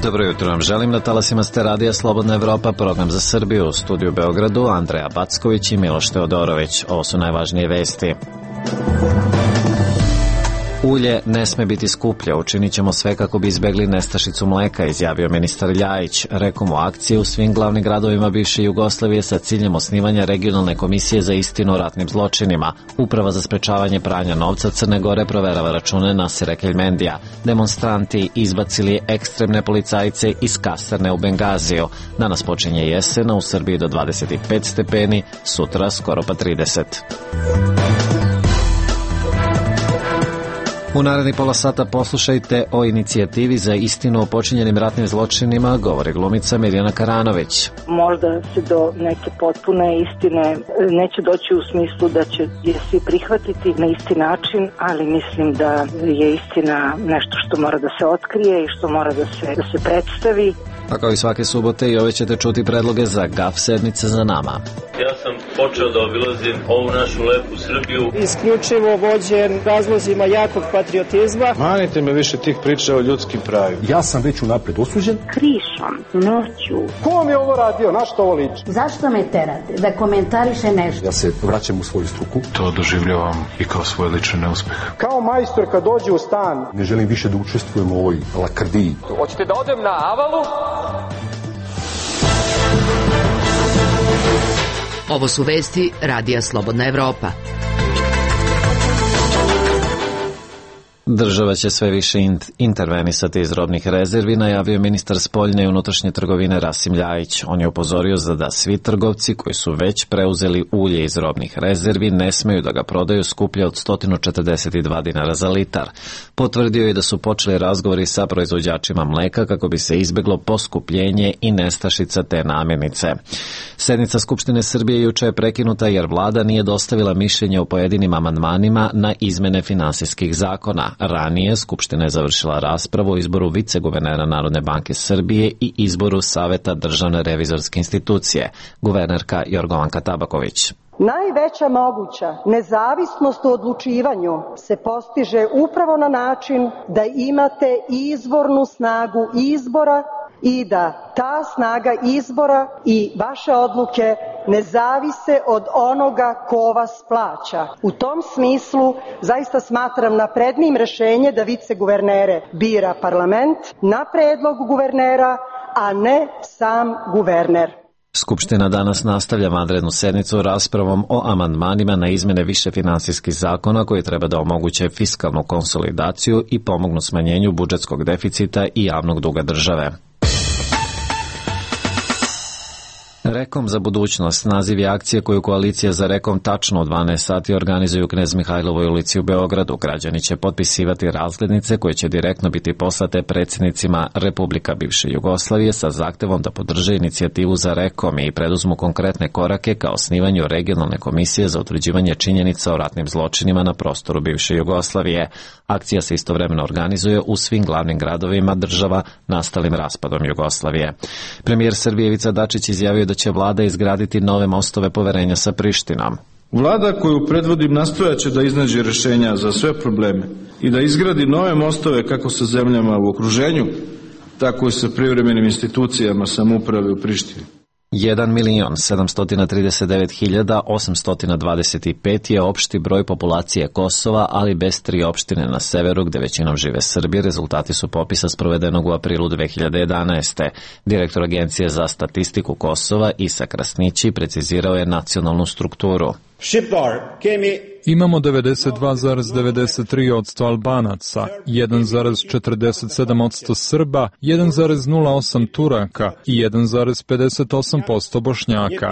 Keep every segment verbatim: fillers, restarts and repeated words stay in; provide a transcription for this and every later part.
Dobro jutro vam želim, na talasima ste radija Slobodna Evropa, program za Srbiju, u studiju Beogradu, Andreja Backović i Miloš Teodorović. Ovo su najvažnije vesti. Ulje ne sme biti skuplje, učinit ćemo sve kako bi izbegli nestašicu mleka, izjavio ministar Ljajić. Rekom u akciji u svim glavnim gradovima bivše Jugoslavije sa ciljem osnivanja regionalne komisije za istinu o ratnim zločinima. Uprava za sprečavanje pranja novca Crne Gore proverava račune Nasira Keljmendija. Demonstranti izbacili ekstremne policajce iz kasarne u Bengaziju. Danas počinje jesena, u Srbiji do dvadeset pet stepeni, sutra skoro pa trideset. U naredni pola sata poslušajte o inicijativi za istinu o počinjenim ratnim zločinima, govori glumica Mirjana Karanović. Možda se do neke potpune istine neće doći u smislu da će je svi prihvatiti na isti način, ali mislim da je istina nešto što mora da se otkrije i što mora da se, da se predstavi. A kao i svake subote i ove ćete čuti predloge za gaf sedmice za nama. Ja sam počeo da obilazim ovu našu lepu Srbiju. Isključivo vođen razlozima jakog patriotizma. Manite me više tih priča o ljudskim pravima. Ja sam već unapred osuđen. Krišom, noću. Ko vam je ovo radio? Na što ovo liči? Zašto me terate da komentariše nešto? Ja se vraćam u svoju struku. To doživljavam i kao svoj lični neuspeh. Kao majstor kad dođe u stan. Ne želim više da učestvujem u ovoj lakrdiji. Hoćete da odem na Avalu? Ovo su vesti Radija Slobodna Evropa. Država će sve više intervenisati iz robnih rezervi, najavio ministar spoljne i unutrašnje trgovine Rasim Ljajić. On je upozorio da svi trgovci koji su već preuzeli ulje iz robnih rezervi ne smeju da ga prodaju skuplje od sto četrdeset dva dinara za litar. Potvrdio je da su počeli razgovori sa proizvođačima mleka kako bi se izbeglo poskupljenje i nestašica te namirnice. Sednica Skupštine Srbije juče je prekinuta jer vlada nije dostavila mišljenje o pojedinim amandmanima na izmene finansijskih zakona. Ranije Skupština je završila raspravu o izboru viceguvernera Narodne banke Srbije i izboru Saveta Državne revizorske institucije. Guvernerka Jorgovanka Tabaković. Najveća moguća nezavisnost u odlučivanju se postiže upravo na način da imate izvornu snagu izbora i da ta snaga izbora i vaše odluke ne zavise od onoga ko vas plaća. U tom smislu zaista smatram naprednim rešenje da viceguvernere bira parlament na predlog guvernera, a ne sam guverner. Skupština danas nastavlja vanrednu sednicu raspravom o amandmanima na izmene više finansijskih zakona koji treba da omoguće fiskalnu konsolidaciju i pomognu smanjenju budžetskog deficita i javnog duga države. Rekom za budućnost, naziv je akcije koju koalicija za Rekom tačno u dvanaest sati organizuju u Knez Mihajlovoj ulici u Beogradu. Građani će potpisivati razglednice koje će direktno biti poslate predsjednicima Republika bivše Jugoslavije sa zahtevom da podrže inicijativu za Rekom i preduzmu konkretne korake ka osnivanju regionalne komisije za utvrđivanje činjenica o ratnim zločinima na prostoru bivše Jugoslavije. Akcija se istovremeno organizuje u svim glavnim gradovima država nastalim raspadom Jugoslavije. Premijer Srbije Ivica Dačić izjavio da će vlada izgraditi nove mostove poverenja sa Prištinom. Vlada koju predvodim nastojaće da iznađe rešenja za sve probleme i da izgradi nove mostove kako sa zemljama u okruženju, tako i sa privremenim institucijama samouprave u Prištini. jedan milion sedamsto trideset devet hiljada osamsto dvadeset pet je opšti broj populacije Kosova, ali bez tri opštine na severu gde većinom žive Srbi. Rezultati su popisa sprovedenog u aprilu dve hiljade jedanaeste. Direktor Agencije za statistiku Kosova Isa Krasnići precizirao je nacionalnu strukturu. Imamo devedeset dva zarez devedeset tri posto Albanaca, jedan zarez četrdeset sedam posto Srba, jedan zarez nula osam Turaka i jedan zarez pedeset osam posto Bošnjaka.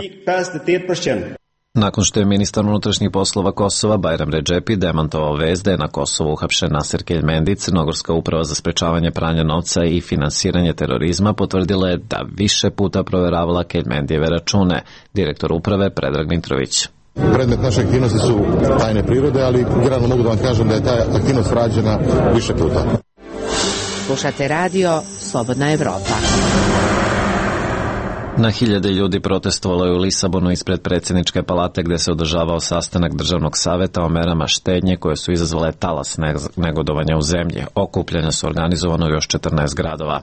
Nakon što je ministar unutrašnjih poslova Kosova Bajram Redžepi demantovao vest da je na Kosovu uhapšen Nasir Keljmendi, Crnogorska uprava za sprečavanje pranja novca i finansiranje terorizma potvrdila je da više puta proveravala Keljmendijeve račune. Direktor uprave Predrag Mitrović. Predmet naše aktivnosti su tajne prirode, ali generalno mogu da vam kažem da je ta aktivnost rađena više puta. Slušate radio Slobodna Evropa. Na hiljade ljudi protestovalo je u Lisabonu ispred predsjedničke palate gdje se održavao sastanak državnog saveta o merama štednje koje su izazvale talas negodovanja u zemlji. Okupljanja su organizovano u još četrnaest gradova.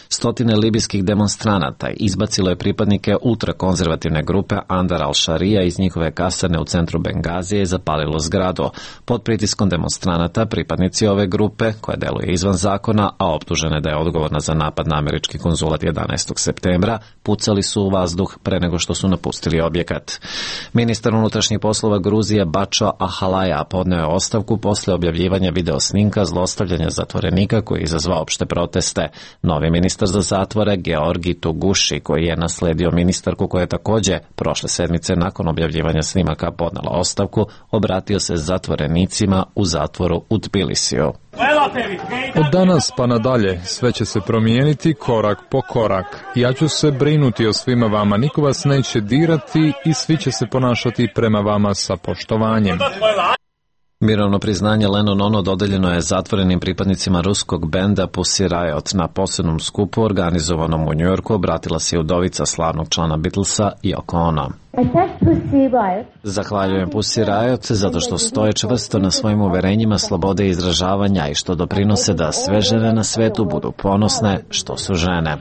Stotine libijskih demonstranata izbacilo je pripadnike ultrakonzervativne grupe Andar al-Šarija iz njihove kasarne u centru Bengazije i zapalilo zgradu. Pod pritiskom demonstranata pripadnici ove grupe, koja deluje izvan zakona, a optužene da je odgovorna za napad na američki konzulat jedanaestog septembra, pucali su u vazduh pre nego što su napustili objekat. Ministar unutrašnjih poslova Gruzije Bačo Ahalaja podneo je ostavku posle objavljivanja video snimka zlostavljanja zatvorenika koji je izazvao opšte proteste. Novi ministar za zatvore Georgi Tuguši, koji je nasledio ministarku koja je također prošle sedmice nakon objavljivanja snimaka podnela ostavku, obratio se zatvorenicima u zatvoru u Tbilisiju. Od danas pa nadalje sve će se promijeniti korak po korak. Ja ću se brinuti o svima vama, niko vas neće dirati i svi će se ponašati prema vama sa poštovanjem. Mirovno priznanje Lennon Ono dodeljeno je zatvorenim pripadnicima ruskog benda Pussy Riot. Na posebnom skupu organizovanom u Njujorku obratila se udovica slavnog člana Beatlesa Yoko Ono. Zahvaljujem Pussy Riot zato što stoje čvrsto na svojim uverenjima slobode izražavanja i što doprinose da sve žene na svetu budu ponosne što su žene.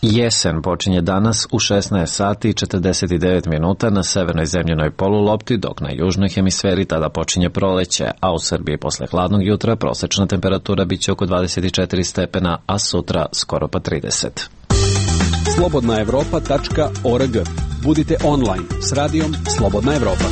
Jesen počinje danas u šesnaest sati i četrdeset devet minuta na severnoj zemljenoj polulopti, dok na južnoj hemisferi tada počinje proleće, a u Srbiji posle hladnog jutra prosečna temperatura biće oko dvadeset četiri stepena, a sutra skoro pa trideset. slobodna evropa tačka org. Budite online s radijom Slobodna Evropa.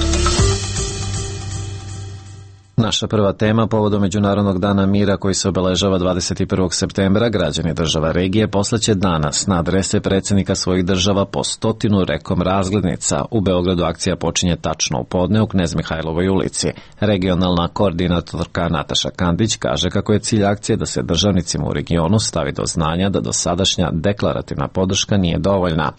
Naša prva tema povodom Međunarodnog dana mira koji se obeležava dvadeset prvog septembra, građani država regije poslaće danas na adrese predsjednika svojih država po stotinu rekom razglednica. U Beogradu akcija počinje tačno u podne u Knez Mihajlovoj ulici. Regionalna koordinatorka Nataša Kandić kaže kako je cilj akcije da se državnicima u regionu stavi do znanja da dosadašnja deklarativna podrška nije dovoljna.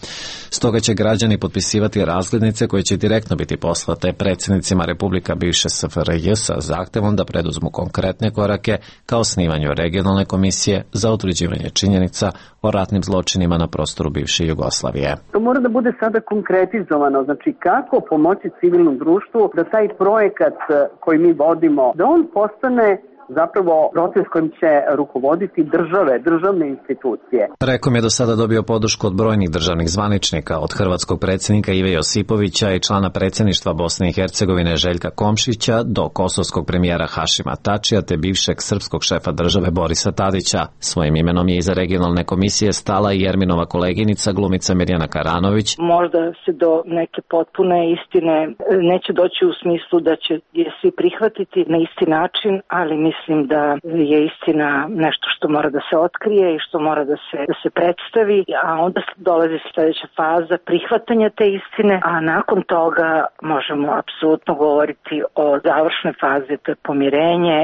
Stoga će građani potpisivati razglednice koje će direktno biti poslate predsjednicima Republika bivše S F R J sa zahtevom da preduzmu konkretne korake kao osnivanju regionalne komisije za utvrđivanje činjenica o ratnim zločinima na prostoru bivše Jugoslavije. To mora da bude sada konkretizovano, znači kako pomoći civilnom društvu da taj projekat koji mi vodimo, da on postane zapravo proces kojim će rukovoditi države, državne institucije. Rekom je do sada dobio podršku od brojnih državnih zvaničnika, od hrvatskog predsjednika Ive Josipovića i člana predsjedništva Bosne i Hercegovine Željka Komšića do kosovskog premijera Hašima Tačija te bivšeg srpskog šefa države Borisa Tadića. Svojim imenom je iza regionalne komisije stala i Jerminova koleginica glumica Mirjana Karanović. Možda se do neke potpune istine neće doći u smislu da će je svi prihvatiti na isti način, ali mislim Mislim da je istina nešto što mora da se otkrije i što mora da se, da se predstavi, a onda dolazi sljedeća faza prihvatanja te istine, a nakon toga možemo apsolutno govoriti o završnoj fazi, to je pomirenje.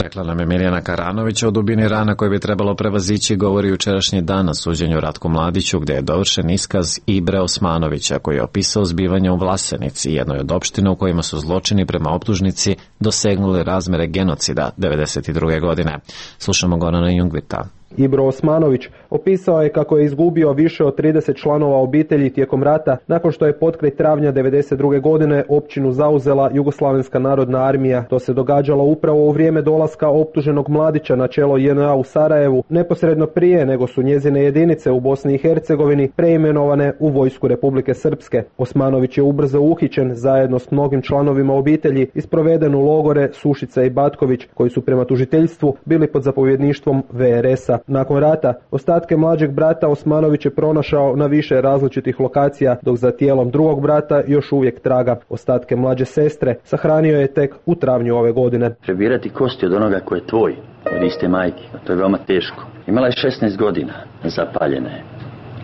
Rekla nam je Mirjana Karanović o dubini rana koje bi trebalo prevazići, govori jučerašnji dan na suđenju Ratku Mladiću, gdje je dovršen iskaz Ibre Osmanovića koji je opisao zbivanje u Vlasenici, jednoj od opština u kojima su zločini prema optužnici dosegnuli razmere genocida devedeset druge godine. Slušamo Gorana Jungvirta. Ibro Osmanović opisao je kako je izgubio više od trideset članova obitelji tijekom rata nakon što je potkraj travnja devedeset druge godine općinu zauzela Jugoslavenska narodna armija. To se događalo upravo u vrijeme dolaska optuženog Mladića na čelo J N A u Sarajevu, neposredno prije nego su njezine jedinice u Bosni i Hercegovini preimenovane u vojsku Republike Srpske. Osmanović je ubrzo uhićen zajedno s mnogim članovima obitelji i sproveden u logore Sušica i Batković koji su prema tužiteljstvu bili pod zapovjedništvom V R S-a. Nakon rata, ostatke mlađeg brata Osmanović je pronašao na više različitih lokacija, dok za tijelom drugog brata još uvijek traga. Ostatke mlađe sestre sahranio je tek u travnju ove godine. Prebirati kosti od onoga ko je tvoj, od iste majke, to je veoma teško. Imala je šesnaest godina, zapaljena je.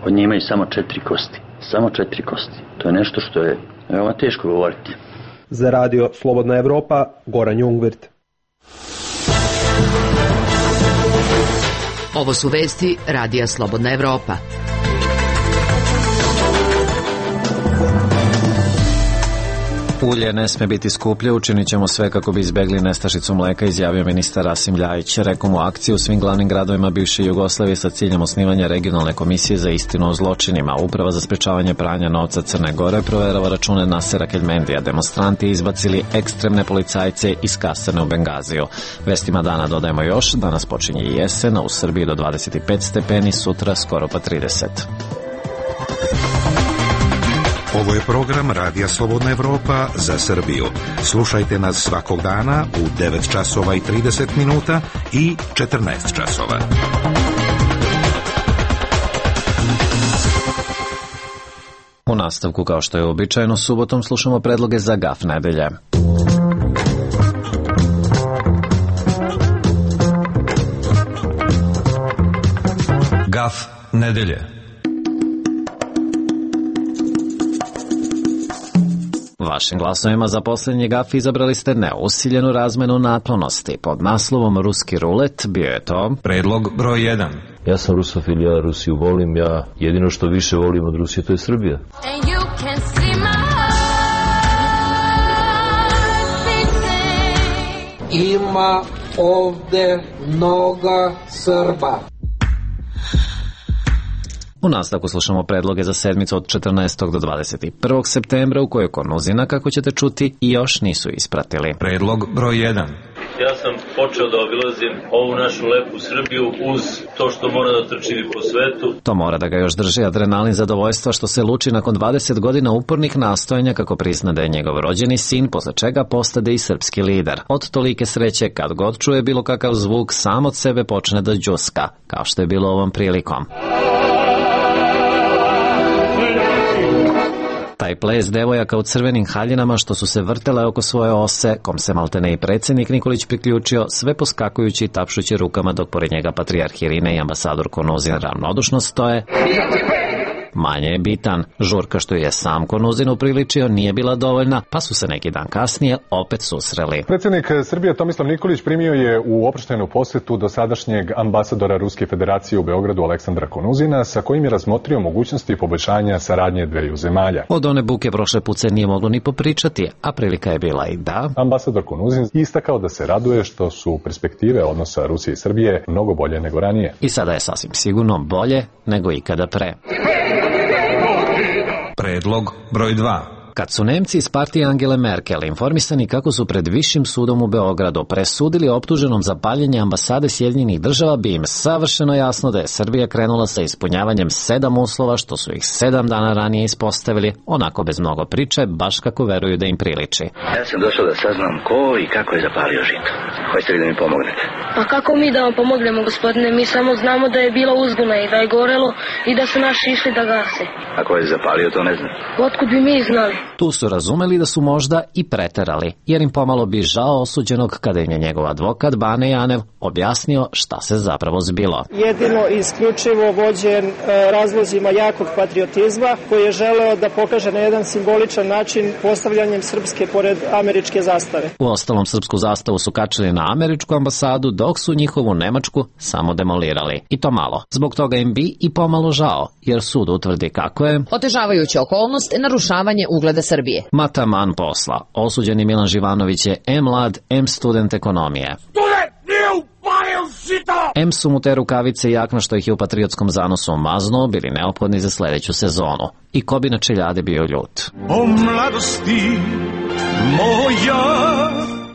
Od nje imaju samo četiri kosti. Samo četiri kosti. To je nešto što je veoma teško govoriti. Za radio Slobodna Evropa, Goran Jungvirt. Ovo su vesti Radija Slobodna Evropa. Ulje ne sme biti skuplje, učinit ćemo sve kako bi izbegli nestašicu mleka, izjavio ministar Rasim Ljajić. Rekao mu akciju u svim glavnim gradovima bivše Jugoslavije sa ciljem osnivanja regionalne komisije za istinu o zločinima. Uprava za sprečavanje pranja novca Crne Gore proverava račune Nasera Keljmendija. Demonstranti izbacili ekstremne policajce iz kasarne u Bengaziju. Vestima dana dodajemo još, danas počinje i jesen, a u Srbiji do dvadeset pet stepeni, sutra skoro pa trideset. Ovo je program Radija Slobodna Evropa za Srbiju. Slušajte nas svakog dana u devet časova i trideset minuta i četrnaest časova. U nastavku, kao što je običajno, subotom slušamo predloge za Gaf nedelje. Gaf nedelje. Vašim glasovima za posljednji gaf izabrali ste neusiljenu razmenu naklonosti. Pod naslovom Ruski rulet bio je to predlog broj jedan. Ja sam rusofil, ja Rusiju volim, ja jedino što više volim od Rusije to je Srbija. Ima ovde mnoga Srba. U nastavku slušamo predloge za sedmicu od četrnaestog do dvadeset prvog septembra u kojoj konuzina, kako ćete čuti, i još nisu ispratili. Predlog broj jedan. Ja sam počeo da obilazim ovu našu lepu Srbiju uz to što mora da trčim i po svetu. To mora da ga još drži adrenalin zadovoljstva što se luči nakon dvadeset godina upornih nastojanja kako prizna da je njegov rođeni sin, posle čega postade i srpski lider. Od tolike sreće, kad god čuje bilo kakav zvuk, sam od sebe počne da đuska, kao što je bilo ovom prilikom. Taj ples devojaka u crvenim haljinama što su se vrtele oko svoje ose, kom se maltene i predsjednik Nikolić priključio, sve poskakujući i tapšući rukama dok pored njega patrijarh Irine i ambasador Konuzin ravnodušno stoje, manje je bitan. Žurka što je sam Konuzin upriličio nije bila dovoljna, pa su se neki dan kasnije opet susreli. Predsjednik Srbije Tomislav Nikolić primio je u oproštajnu posjetu dosadašnjeg ambasadora Ruske federacije u Beogradu Aleksandra Konuzina, sa kojim je razmotrio mogućnosti poboljšanja saradnje dveju zemalja. Od one buke prošle put se nije moglo ni popričati, a prilika je bila i da... Ambasador Konuzin istakao da se raduje što su perspektive odnosa Rusije i Srbije mnogo bolje nego ranije. I sada je sasvim sigurno bolje nego ikada pre. Predlog broj dva. Kad su Nemci iz partije Angele Merkel informisani kako su pred Višim sudom u Beogradu presudili optuženom za paljenje ambasade Sjedinjenih država, bi im savršeno jasno da je Srbija krenula sa ispunjavanjem sedam uslova što su ih sedam dana ranije ispostavili, onako bez mnogo priče, baš kako veruju da im priliči. Ja sam došao da saznam ko i kako je zapalio žito. Hoćete li da mi pomognete? Pa kako mi da vam pomognemo, gospodine? Mi samo znamo da je bilo uzbuna i da je gorelo i da su naši išli da gase. A ko je zapalio, to ne znam. Otkud bi mi znali? Tu su razumeli da su možda i preterali, jer im pomalo bi žao osuđenog kada im je njegov advokat Bane Janev objasnio šta se zapravo zbilo. Jedino isključivo vođen e, razlozima jakog patriotizma koji je želeo da pokaže na jedan simboličan način postavljanjem srpske pored američke zastave. U ostalom srpsku zastavu su kačili na američku ambasadu, dok su njihovu nemačku samo demolirali. I to malo. Zbog toga im bi i pomalo žao, jer sud utvrdi kako je otežavajuća okolnost narušavanje ugleda Srbije. Mataman posla. Osuđeni Milan Živanović je em mlad, em student ekonomije. Em su mu te rukavice i jakna što ih je u patriotskom zanosu maznuo bili neophodni za sledeću sezonu. I ko bi na čeljade bio ljut. O mladosti moja.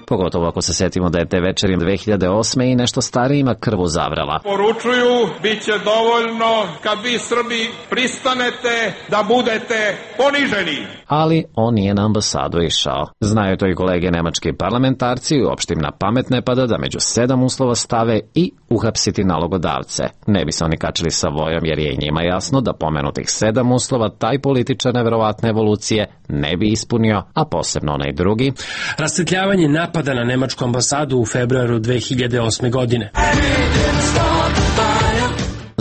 Pogotovo ako se setimo da je te večeri dve hiljade osme i nešto starijima krvu zavrela. Poručuju, bit će dovoljno kad vi Srbi pristanete da budete poniženi. Ali on nije na ambasadu išao. Znaju to i kolege nemački parlamentarci i uopšte im na pamet ne pada da među sedam uslova stave i uhapsiti nalogodavce. Ne bi se oni kačili sa vojom jer je i njima jasno da pomenutih sedam uslova taj političar neverovatne evolucije ne bi ispunio, a posebno onaj drugi. Rasvetljavanje napada na nemačku ambasadu u februaru dve hiljade osme godine.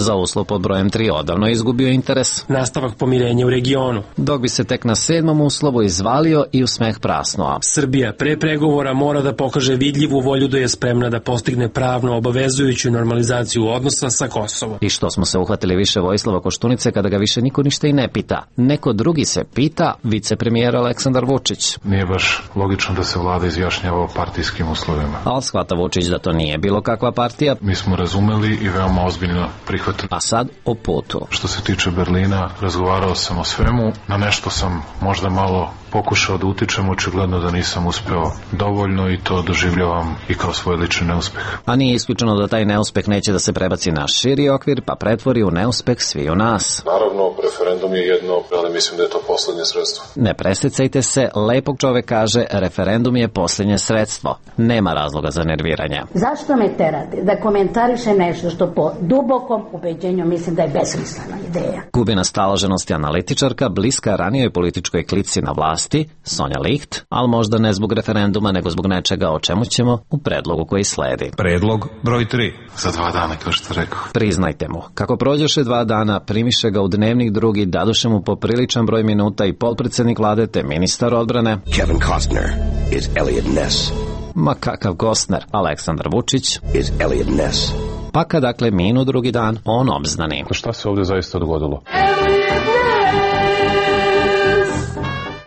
za uslov pod brojem tri odavno izgubio interes. Nastavak pomirenja u regionu. Dok bi se tek na sedmom uslovu izvalio i u smeh prasnuo. Srbija pre pregovora mora da pokaže vidljivu volju da je spremna da postigne pravno obavezujuću normalizaciju odnosa sa Kosovom. I što smo se uhvatili više Vojislava Koštunice kada ga više niko ništa i ne pita. Neko drugi se pita, vicepremijer Aleksandar Vučić. Nije baš logično da se vlada izjašnjava o partijskim uslovima. Ali shvata Vučić da to nije bilo kakva partija. Mi smo razumeli i veoma ozbiljno prihvatili. A sad o putu. Što se tiče Berlina, razgovarao sam o svemu. Na nešto sam možda malo pokušao da utičem, očigledno da nisam uspeo dovoljno i to doživljavam i kao svoj lični neuspeh. A nije isključeno da taj neuspeh neće da se prebaci na širi okvir, pa pretvori u neuspeh svi u nas. Naravno, referendum je jedno, ali mislim da je to poslednje sredstvo. Ne presecajte se, lepog čovek kaže, referendum je poslednje sredstvo. Nema razloga za nerviranje. Zašto me terate da komentariše nešto što po dubokom ubeđenju mislim da je besmislena ideja? Gubina staloženosti analitičarka, bliska ranijoj političkoj klici na vlasti, Sonja Licht, ali možda ne zbog referenduma, nego zbog nečega o čemu ćemo u predlogu koji sledi. Predlog broj tri. Za dva dana, kao što rekao. Priznajte mu, kako prođeše dva dana, primiše ga u dnevnik drugi, daduše mu popriličan broj minuta i potpredsednik vlade te ministar odbrane. Kevin Costner is Elliot Ness. Ma kakav Costner, Aleksandar Vučić is Elliot Ness. Pa kad dakle minu drugi dan, on obznani. Šta se ovdje zaista dogodilo?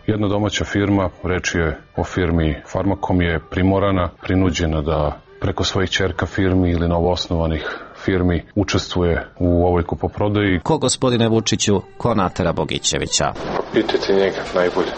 Jedna domaća firma, reč je o firmi Farmakom, je primorana, prinuđena da preko svojih ćerka firmi ili novoosnovanih firmi učestvuje u ovoj kupoprodaji. Ko, gospodine Vučiću, ko natera Bogićevića? Pitajte njega najbolje.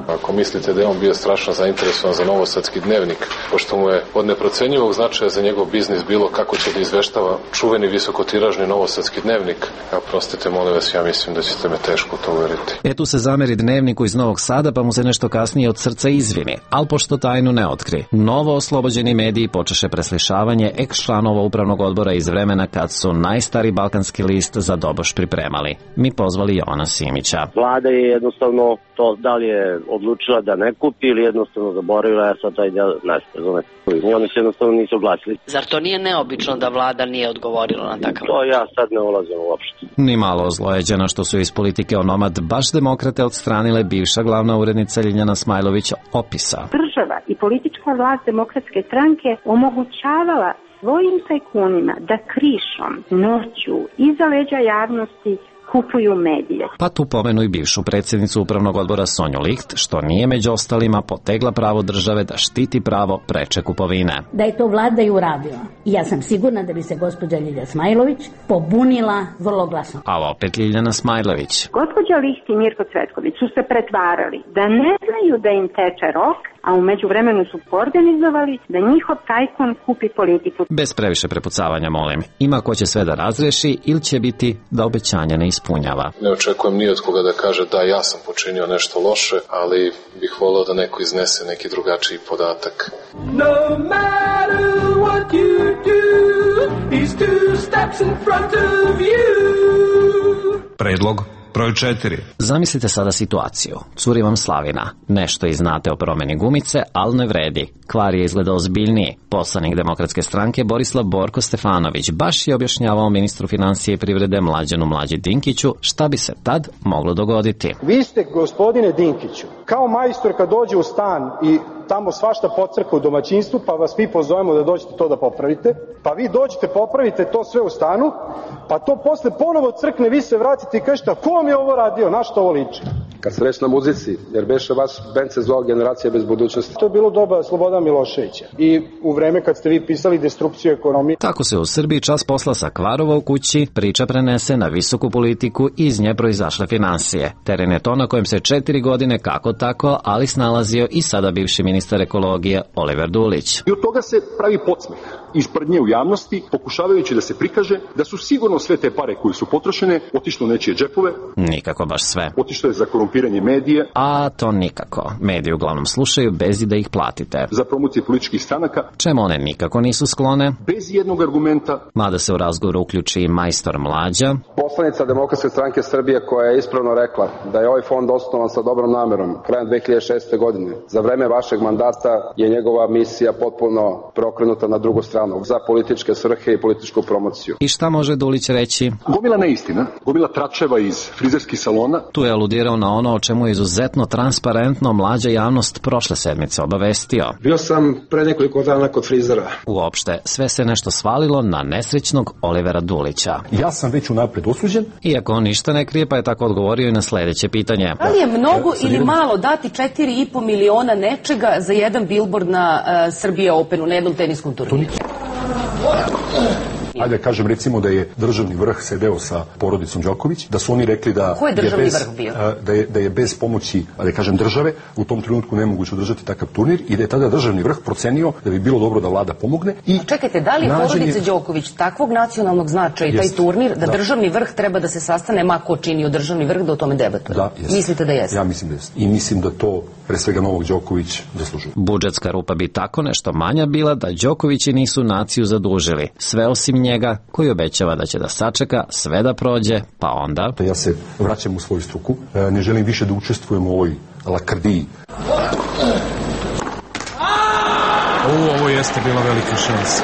Ako mislite da je on bio strašno zainteresovan za Novosadski dnevnik, pošto mu je od neprocenjivog značaja za njegov biznis bilo kako će da izveštava čuveni visokotiražni Novosadski dnevnik, ja prostite, molim vas, ja mislim da ćete me teško to uveriti. E tu se zameri dnevniku iz Novog Sada, pa mu se nešto kasnije od srca izvini, ali pošto tajnu ne otkri. Novo oslobođeni mediji počeše preslišavanje eks-članova upravnog odbora iz vremena kad su najstari balkanski list za doboš pripremali. Mi pozvali Jovana Simića. Vlada je jednostavno to da li je odlučila da ne kupi ili jednostavno zaboravila, ja sad taj del ne znam. I oni se jednostavno nisu oglasili. Zar to nije neobično da vlada nije odgovorila na takav? To ja sad ne ulazim uopšte. Ni malo ozlojeđena što su iz politike onomad baš demokrate odstranile bivša glavna urednica Ljiljana Smajlović opisa. Država i politička vlast Demokratske stranke omogućavala svojim tajkunima da krišom, noću, iza leđa javnosti kupuju medije. Pa tu pomenu i bivšu predsjednicu upravnog odbora Sonju Licht, što nije među ostalima potegla pravo države da štiti pravo preče kupovine. Da je to vlada i uradila. I ja sam sigurna da bi se gospođa Ljiljana Smajlović pobunila vrlo glasno. A opet Ljiljana Smajlović. Gospođa Licht i Mirko Cvetković su se pretvarali da ne znaju da im teče rok, a u međuvremenu su organizovali da njihov tajkun kupi politiku. Bez previše prepucavanja, molim. Ima ko će sve da razreši ili će biti da obećanje ne ispunjava. Ne očekujem ni od koga da kaže da ja sam počinio nešto loše, ali bih voleo da neko iznese neki drugačiji podatak. No matter what you do, he's two steps in front of you. Predlog broj četiri. Zamislite sada situaciju. Curi vam slavina. Nešto i znate o promeni gumice, ali ne vredi. Kvar je izgleda ozbiljniji. Poslanik Demokratske stranke Borislav Borko Stefanović baš je objašnjavao ministru financije i privrede Mlađanu Mlađi Dinkiću šta bi se tad moglo dogoditi. Vi ste, gospodine Dinkiću, kao majstor kad dođe u stan i tamo svašta pocrka u domaćinstvu, pa vas mi pozovemo da dođete to da popravite, pa vi dođete, popravite to sve u stanu, pa to posle ponovo crkne, vi se vratite i kažete, ko vam je ovo radio, na što ovo liči? Kad se reći na muzici, jer beše vaš band se zvao Generacija bez budućnosti. To je bilo doba Slobodana Miloševića i u vreme kad ste vi pisali Destrukciju ekonomije. Tako se u Srbiji čas posla sa Kvarova u kući, priča prenese na visoku politiku i iz nje proizašle finansije. Teren je to na kojem se četiri godine kako tako, ali snalazio i sada bivši ministar ekologije Oliver Dulić. I od toga se pravi podsmeh iz prdnje u javnosti, pokušavajući da se prikaže da su sigurno sve te pare koje su potrošene otišle u nečije džepove. Nikako baš sve. Otišlo je za korumpiranje korumpiranje medija. A to nikako. Mediji uglavnom slušaju bez i da ih platite. Za promociju političkih stranaka. Čemu one nikako nisu sklone? Bez jednog argumenta. Mada se u razgovoru uključi i majstor Mlađa. Poslanica Demokratske stranke Srbije koja je ispravno rekla da je ovaj fond osnovan sa dobrom namerom krajem dve hiljade šeste. godine. Za vreme vašeg mandata je njegova misija potpuno preokrenuta na drugu stranu, za političke svrhe i političku promociju. I šta može Dulić reći? Gomila neistina, gomila tračeva iz frizerskih salona. Tu je aludirao na ono o čemu je izuzetno transparentno Mlađa javnost prošle sedmice obavestio. Bio sam pre nekoliko dana kod frizera. Uopšte, sve se nešto svalilo na nesrećnog Olivera Dulića. Ja sam već unapred osuđen. Iako on ništa ne krije, pa je tako odgovorio i na sledeće pitanje. Da li je mnogo ili malo dati četiri i po miliona nečega za jedan billboard na uh, Srbija Openu, na jednom teniskom turniru? Ajde, kažem, recimo da je državni vrh sedeo sa porodicom Đoković, da su oni rekli da, Ko je državni bez, vrh bio? da, je, da je bez pomoći, da kažem, države u tom trenutku nemoguće održati takav turnir i da je tada državni vrh procenio da bi bilo dobro da vlada pomogne. I čekajte, da li je porodica Đoković takvog nacionalnog značaja i taj turnir da, da državni vrh treba da se sastane, ma ko činio državni vrh, da o tome debatuje? Da, jest. Mislite da jeste? Ja mislim da jeste. I mislim da to pre svega Novak Đoković zaslužuje. Budžetska rupa bi tako nešto manja bila da Đokovići nisu naciju zadužili. Sve osim njega, koji obećava da će da sačeka sve da prođe, pa onda... Ja se vraćam u svoju struku, ne želim više da učestvujem u ovoj lakrdiji. O, ovo jeste bila velika šansa.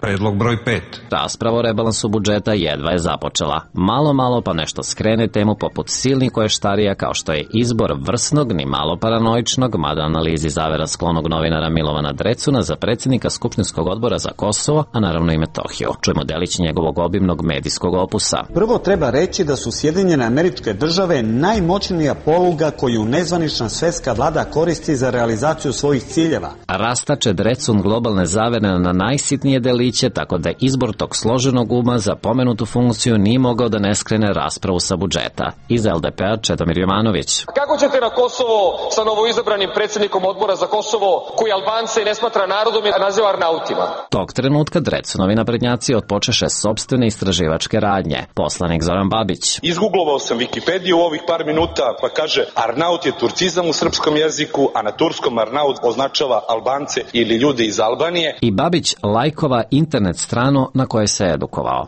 Predlog broj pet. Rasprava o rebalansu budžeta jedva je započela. Malo, malo pa nešto skrene temu poput silnih koještarija kao što je izbor vrsnog, ni malo paranoičnog, mada analizi zavera sklonog novinara Milovana Drecuna za predsjednika Skupštinskog odbora za Kosovo, a naravno i Metohiju. Čujemo delić njegovog obimnog medijskog opusa. Prvo treba reći da su Sjedinjene Američke Države najmoćnija poluga koju nezvanična svetska vlada koristi za realizaciju svojih ciljeva. Rastače Drecun globalne zavere na najsitnije deliće, tako da izbor tog složenog uma za pomenutu funkciju nije mogao da ne skrene raspravu sa budžeta. Iz el de pe-a Čedomir Jovanović. Kako ćete na Kosovo sa novoizabranim predsjednikom odbora za Kosovo, koji Albance ne smatra narodom i naziva Arnautima? Tog trenutka Drecunovi naprednjaci otpočeše sopstvene istraživačke radnje. Poslanik Zoran Babić. Izguglovao sam Wikipediju u ovih par minuta, pa kaže Arnaut je turcizam u srpskom jeziku, a na turskom Arnaut označava Albance ili ljude iz Albanije. I Babić lajkova internet stranu na kojoj se edukovao.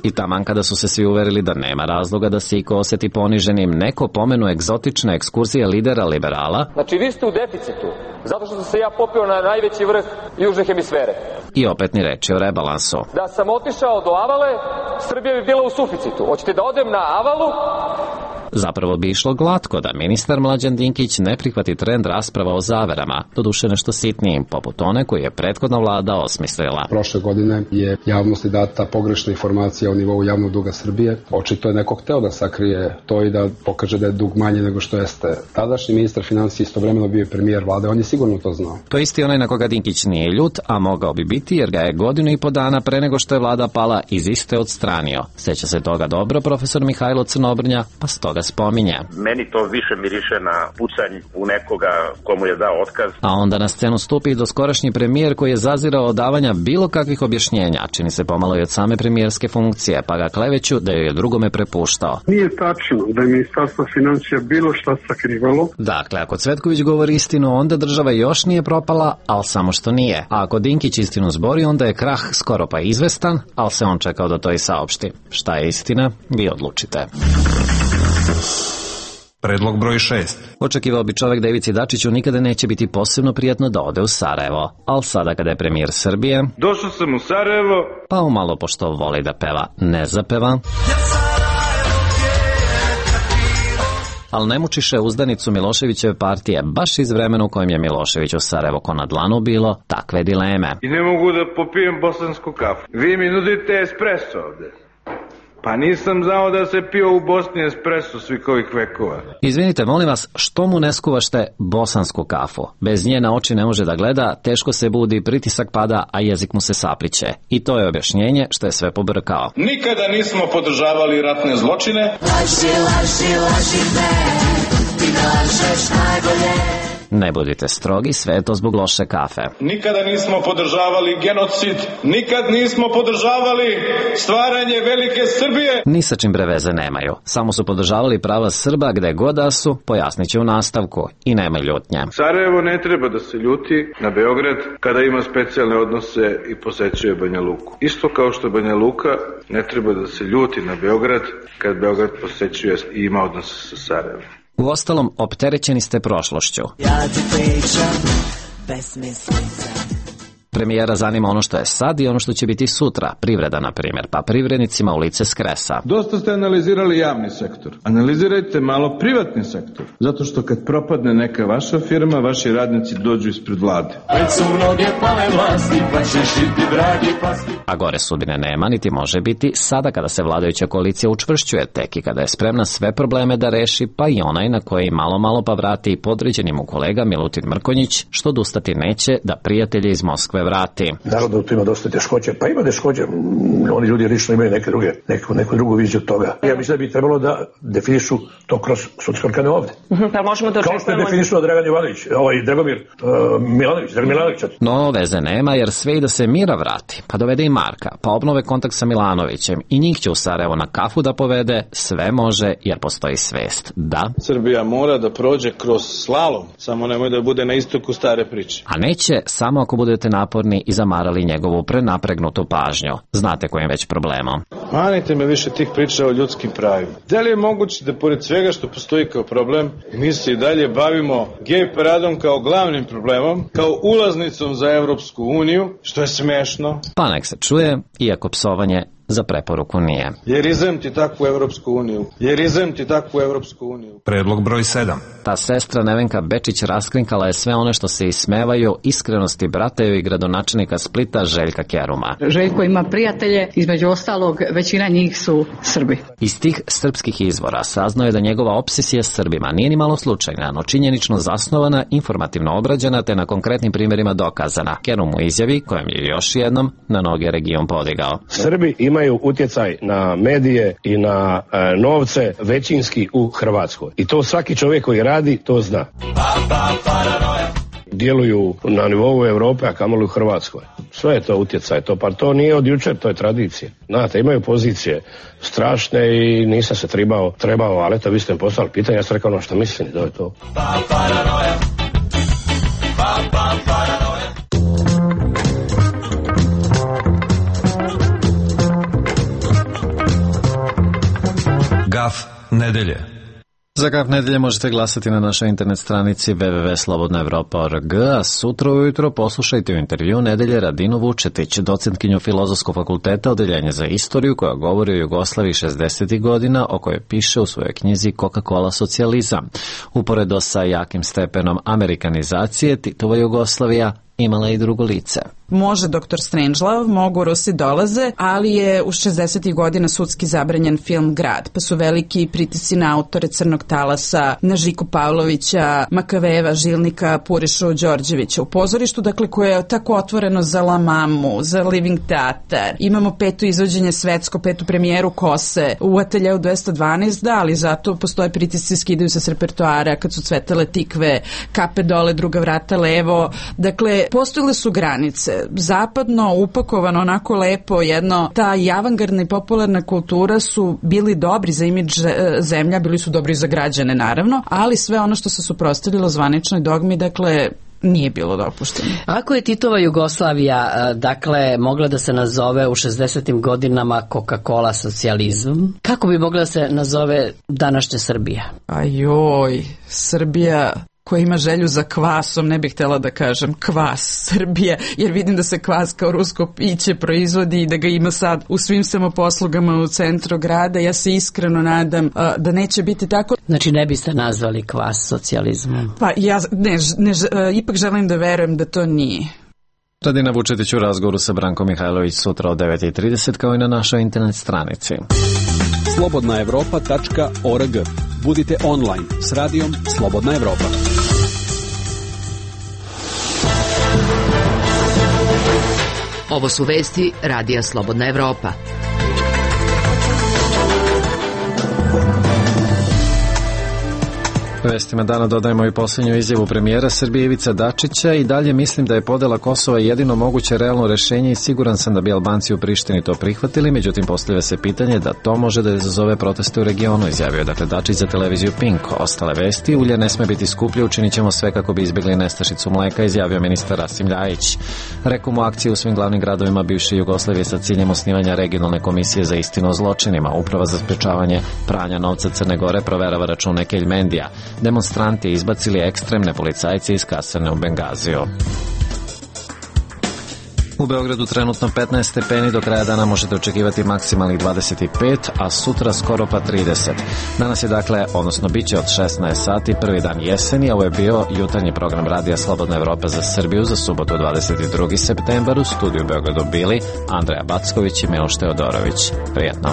I taman kada su se svi uverili da nema razloga da se iko osjeti poniženim, neko pomenu egzotične ekskurzije lidera liberala. Znači vi ste u deficitu, zato što sam se ja popeo na najveći vrh južne hemisfere. I opet ni reči o rebalansu. Da sam otišao do Avale, Srbija bi bila u suficitu. Hoćete da odem na Avalu? Zapravo bi išlo glatko da ministar Mlađan Dinkić ne prihvati trend rasprava o zaverama, doduše nešto sitnijim, poput one koju je prethodna vlada osmislila. Prošle godine je javnosti data pogrešna informacija o nivou javnog duga Srbije. Očito je neko hteo da sakrije to i da pokaže da je dug manje nego što jeste. Tadašnji ministar finansija istovremeno bio je premijer vlade, on je sigurno to znao. To je isti onaj na koga Dinkić nije ljut, a mogao bi biti jer ga je godinu i po dana pre nego što je vlada pala iz iste odstranio. Seća se toga dobro profesor Mihajlo Crnobrnja, pa stoga spominje. Meni to više miriše na pucanj u nekoga komu je dao otkaz. A onda na scenu stupi doskorašnji premijer koji je zazirao od davanja bilo kakvih objašnjenja, čini se pomalo i od same premijerske funkcije, pa ga kleveću da joj je drugome prepuštao. Nije tačno da je ministarstvo financija bilo šta sakrivalo. Dakle, ako Cvetković govori istinu, onda država još nije propala, ali samo što nije. A ako Dinkić istinu zbori, onda je krah skoro pa izvestan, ali se on čekao da to i saopšti. Šta je istina, vi odlučite. Predlog broj šest. Očekivao bi čovek da Ivici Dačiću nikada neće biti posebno prijatno da ode u Sarajevo. Ali sada kada je premijer Srbije... Došao sam u Sarajevo... Pa umalo pošto voli da peva, ne zapeva... Ali ne mučiše uzdanicu Miloševićeve partije baš iz vremena u kojem je Milošević u Sarajevo ko na dlanu bilo takve dileme. I ne mogu da popijem bosansku kafu. Vi mi nudite espresso ovde. Pa nisam znao da se pio u Bosni espresso svih ovih vekova. Izvinite, molim vas, što mu ne skuvašte bosansku kafu? Bez nje na oči ne može da gleda, teško se budi, pritisak pada, a jezik mu se sapliće. I to je objašnjenje što je sve pobrkao. Nikada nismo podržavali ratne zločine. Laži, laži, laži me, ti lažeš najbolje. Ne budite strogi, sve je to zbog loše kafe. Nikada nismo podržavali genocid, nikad nismo podržavali stvaranje velike Srbije. Ni sa čim bre veze nemaju. Samo su podržavali prava Srba gde god da su, pojasnit će u nastavku. I nema ljutnje. Sarajevo ne treba da se ljuti na Beograd kada ima specijalne odnose i posećuje Banja Luku. Isto kao što Banja Luka ne treba da se ljuti na Beograd kad Beograd posećuje i ima odnose sa Sarajevom. Uostalom, opterećeni ste prošlošću. Ja ti pričam besmislica. Premijera zanima ono što je sad i ono što će biti sutra, privreda na primjer, pa privrednicima u lice skresa. Dosta ste analizirali javni sektor. Analizirajte malo privatni sektor. Zato što kad propadne neka vaša firma, vaši radnici dođu ispred vlade. A gore sudbine nema, niti može biti sada kada se vladajuća koalicija učvršćuje, tek i kada je spremna sve probleme da reši, pa i onaj na koji malo malo pa vrati i podređeni mu kolega Milutin Mrkonjić, što odustati neće da prijatelje iz Moskve vrati. Naravno da tu ima dosta teškoće, pa ima teškoće, oni ljudi lično imaju neke druge, neku, neku drugu viziju toga. Ja mislim da bi trebalo da definišu to kroz sudske organe ovde. Pa možemo da kao što je definisao Dragan Jovanović, ovaj Dragomir uh, Milanović, Dragan Milanović. No, veze nema, jer sve i da se Mira vrati, pa dovede i Marka, pa obnove kontakt sa Milanovićem i njih će u Sarajevo na kafu da povede, sve može jer postoji svest. Da. Srbija mora da prođe kroz slalom, samo nemoj da bude na istoku stare priče. A neće samo ako budete naporni i zamarali njegovu prenapregnutu pažnju. Znate kojim već problemom. Manite me više tih priča o ljudskim pravima. Da li je moguće da pored svega što postoji kao problem, mi se i dalje bavimo gej paradom kao glavnim problemom, kao ulaznicom za Evropsku uniju, što je smešno? Pa nek se čuje, iako psovanje za preporuku nije. Jer izem ti takvu Evropsku uniju. Jer izem ti takvu Evropsku uniju. Predlog broj sedam. Ta sestra Nevenka Bečić raskrinkala je sve one što se ismevaju iskrenosti brataju i gradonačelnika Splita Željka Keruma. Željko ima prijatelje, između ostalog većina njih su Srbi. Iz tih srpskih izvora saznao je da njegova obsesija s Srbima nije ni malo slučajna, no činjenično zasnovana, informativno obrađena te na konkretnim primjerima dokazana. Kerum u izjavi kojem je još jednom na noge region podigao. Srbi imaju utjecaj na medije i na e, novce većinski u Hrvatskoj. I to svaki čovjek koji radi to zna. Djeluju na nivou Europe, a kamoli u Hrvatskoj. Sve je to utjecaj, to pa to nije od jučer, to je tradicija. Znate, imaju pozicije strašne i nisam se trebao, trebao, ali eto vi ste mi poslali pitanje, ja sam rekao ono što mislim, da je to. Gaf nedelje. Za Gaf nedelje možete glasati na našoj internet stranici w w w tačka slobodna evropa tačka org, a sutra ujutro poslušajte u intervju Nedelje Radinu Vučetić, docentkinju Filozofskog fakulteta, odeljenja za istoriju, koja govori o Jugoslaviji šezdesetih godina, o kojoj piše u svojoj knjizi Coca-Cola socijalizam. Uporedo sa jakim stepenom amerikanizacije, Titova Jugoslavija imala i drugo lice. Može doktor Strangelove, mogu Rusi dolaze, ali je u šezdesetih godina sudski zabranjen film Grad, pa su veliki pritisci na autore Crnog talasa, na Žiku Pavlovića, Makaveva, Žilnika, Purišu Đorđevića u pozorištu, dakle koje je tako otvoreno za La Mamu, za Living Theater. Imamo peto izvođenje svetsko, petu premijeru Kose u Ateljeu dvesta dvanaest, da, ali zato postoje pritisci, skidaju se s repertoara kad su cvetale tikve, kape dole, druga vrata levo, dakle postojile su granice. Zapadno upakovano onako lepo jedno, ta i avangardna i popularna kultura su bili dobri za imidž zemlja, bili su dobri za građane naravno, ali sve ono što se suprotstavilo zvaničnoj dogmi, dakle nije bilo dopušteno. Ako je Titova Jugoslavija, dakle, mogla da se nazove u šezdesetim godinama Coca-Cola socijalizam, kako bi mogla da se nazove današnja Srbija? Ajoj, Srbija koja ima želju za kvasom, ne bih htjela da kažem kvas Srbije, jer vidim da se kvas kao rusko piće proizvodi i da ga ima sad u svim samoposlugama u centru grada. Ja se iskreno nadam uh, da neće biti tako. Znači ne biste nazvali kvas socijalizmom? Pa ja ne, ne, uh, ipak želim da verujem da to nije. Radina Vučetić u razgovoru sa Brankom Mihajlović sutra od devet i trideset kao i na našoj internet stranici. slobodna evropa tačka org. Budite online s radijom Slobodna Evropa. Ovo su vesti Radija Slobodna Evropa. Vestima dana dodajemo i posljednju izjavu premijera Srbije Ivice Dačića. I dalje mislim da je podela Kosova jedino moguće realno rešenje i siguran sam da bi Albanci u Prištini to prihvatili, međutim postavlja se pitanje da to može da izazove proteste u regionu, izjavio dakle Dačić za televiziju Pink. Ostale vesti: ulje ne sme biti skuplje, učinit ćemo sve kako bi izbjegli nestašicu mleka, izjavio ministar Rasim Ljajić. Rekom u akciji u svim glavnim gradovima bivše Jugoslavije sa ciljem osnivanja regionalne komisije za istinu o zločinima. Uprava za sprečavanje pranja novca Crne Gore proverava račune Keljmendija. Demonstranti izbacili ekstremne policajce iz kasarne u Bengaziju. U Beogradu trenutno petnaest stepeni, do kraja dana možete očekivati maksimalnih dvadeset pet, a sutra skoro pa trideset. Danas je dakle, odnosno bit će od šesnaest sati, prvi dan jeseni, a ovo je bio jutarnji program Radija Slobodna Evropa za Srbiju za subotu dvadeset drugi septembar. U studiju u Beogradu bili Andreja Backović i Miloš Teodorović. Prijetno.